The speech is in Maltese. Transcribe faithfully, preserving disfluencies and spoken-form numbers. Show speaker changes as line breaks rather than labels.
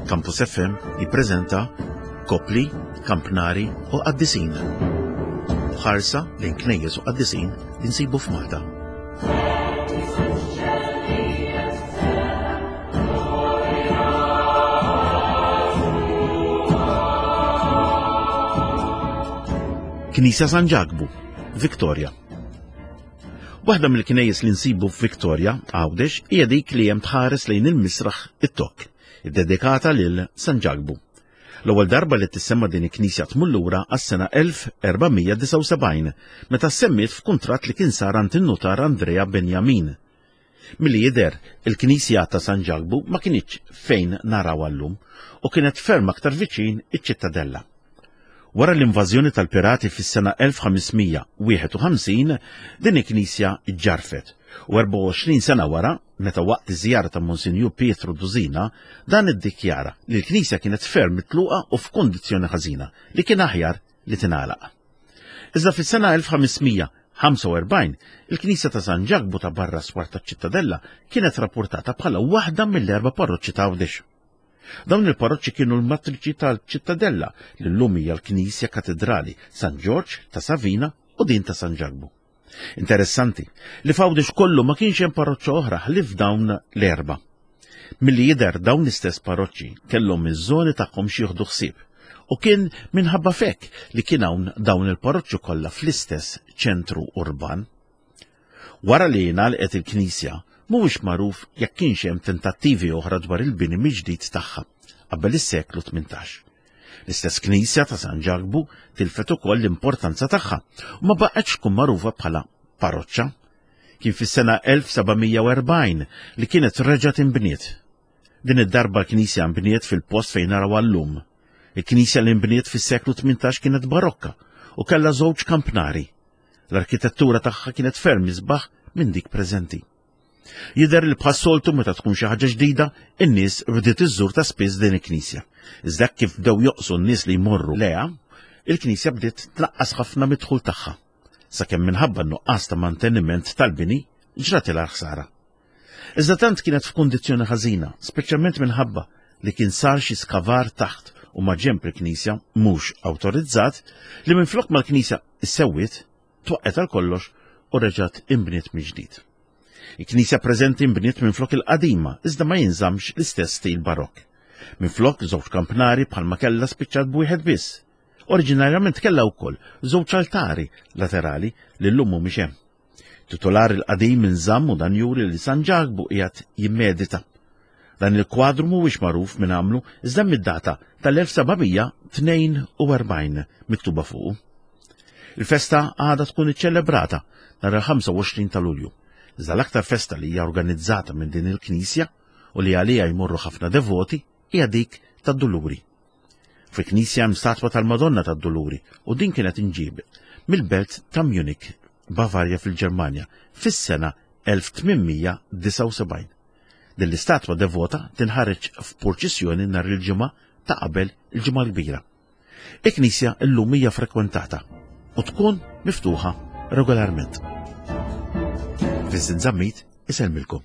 Campus F M jippreżenta Kopli, Kampnari u Qaddisin. Ħarsa lejn knejjes u qaddisin li nsibu f'Malta. Knisja San Ġakbu, Victoria. Waħda mill-knejjes li nsibu f'Victoria, Għawdex, hija dik li hemm tħares lejn il-misraħ it-Tokk, iddedikata lil San Ġakbu. L-ewwel darba li tissemma din il-knisja tmur lura għas-sena elf erba' mija disgħa u sebgħin, meta semmiet f'kuntratt li kien sar għand in-nutar Andrea Benjamin. Milli jidher, il-knisja ta' San Ġakbu ma kinitx fejn naraw llum u kienet ferm aktar viċin iċ-ċittadella. Wara l-invażjoni tal-pirati fis-sena elf ħames mija wieħed u ħamsin, din il-knisja ġġarfet u erbgħa u għoxrin sena wara, meta waqt iż-żjara ta' Monsinjur Pietro Dusina, dan iddikjara li l-knisja kienet ferm mitluqa u f'kondizzjoni ħażina li kien aħjar li tingħalaq. Iżda fis-sena elf ħames mija ħamsa u erbgħin, il-knisja ta' San Ġakbu ta' barra swar taċ-ċittadella kienet rapportata bħala waħda mill-erba' parroċċi ta' Għawdex. Dawn il-parroċċi kienu l-matriċi tal-ċittadella li llum hija l-Knisja Katedrali San Ġorġ, ta' Savina u din ta' San Ġakbu. Interessanti li f'Għawdex kollu ma kienx hemm parroċċa oħra ħlief dawn l-erba. Milli jidher, dawn l-istess parroċċi kellhom iż-żoni tagħhom xi jieħdu ħsieb u kien minħabba f'hekk li kien hawn dawn il-parroċċi kollha fl-istess ċentru urban. Wara li ngħalqet il-knisja, mhuwiex magħruf jekk kienx hemm tentattivi oħra dwar il-bini mill-ġdid tagħha qabel is-seklu tmintax. L-istess knisja ta' San Ġakbu tilfet ukoll l-importanza tagħha u ma baqgħetx tkun magħrufa bħala parroċċa. Kien fis-sena elf seba' mija u erbgħin li kienet reġgħet inbniet. Din id-darba l-knisja nbniet fil-post fejn naraw llum. Il-knisja li nbniet fis-seklu tmintax kienet barokka u kellha żewġ kampnari. L-arkitettura tagħha kienet ferm isbaħ minn dik preżenti. Jidher li bħas-soltu, meta tkun xi ħaġa ġdida, in-nies bdiet iżżur ta' spiss din il-knisja. Iżda kif bdew joqsu n-nies li jmorru lejha, il-knisja bdiet tnaqqas ħafna mid-dħul tagħha. Sakemm minħabba nuqqas ta' manteniment tal-bini ġratilha ħsara. Iżda tant kienet f'kundizzjoni ħażina, speċjalment minħabba li kien sar xi skavar taħt u maġenb il-knisja mhux awtorizzat, li minflok mal-knisja issewwiet, twaqqet għal kollox u reġgħet inbniet mill-ġdid. Il-knisja preżenti nbniet minflok il-qadima, iżda ma jinżamx l-istess stil barokk. Minflok żewġ kampnari bħalma kellha, spiċċat b'wieħed biss. Oriġinarjament kellha wkoll żewġ altari laterali li llum mhumiex hemm. Titular il-qadim inżamm u dan juri li San Ġakbu qiegħed jimmedita. Dan il-kwadru mhuwiex magħruf min għamlu, iżda mid-data tal-elf seba' mija tnejn u erbgħin miktuba fuqu. Il-festa għadha tkun iċċelebrata nhar il-ħamsa u għoxrin ta' Lulju. Iżda l-aktar festa li hija organizzata minn din il-knisja u li għalija jmorru ħafna devoti hija dik tad-Duluri. Fil-knisja hemm statwa tal-Madonna tad-Duluri u din kienet inġiebet mill-belt ta' Munich, Bavarja fil-Ġermanja, fis-sena elf tmien mija disgħa u sebgħin. Din l-istatwa devota tinħareġ f'purċissjoni nhar il-Ġimgħa ta' qabel il-Ġimgħa l-Kbira. Il-knisja llum hija frekwentata u tkun miftuħa regolarment. Vincent Zammit isellmilkom.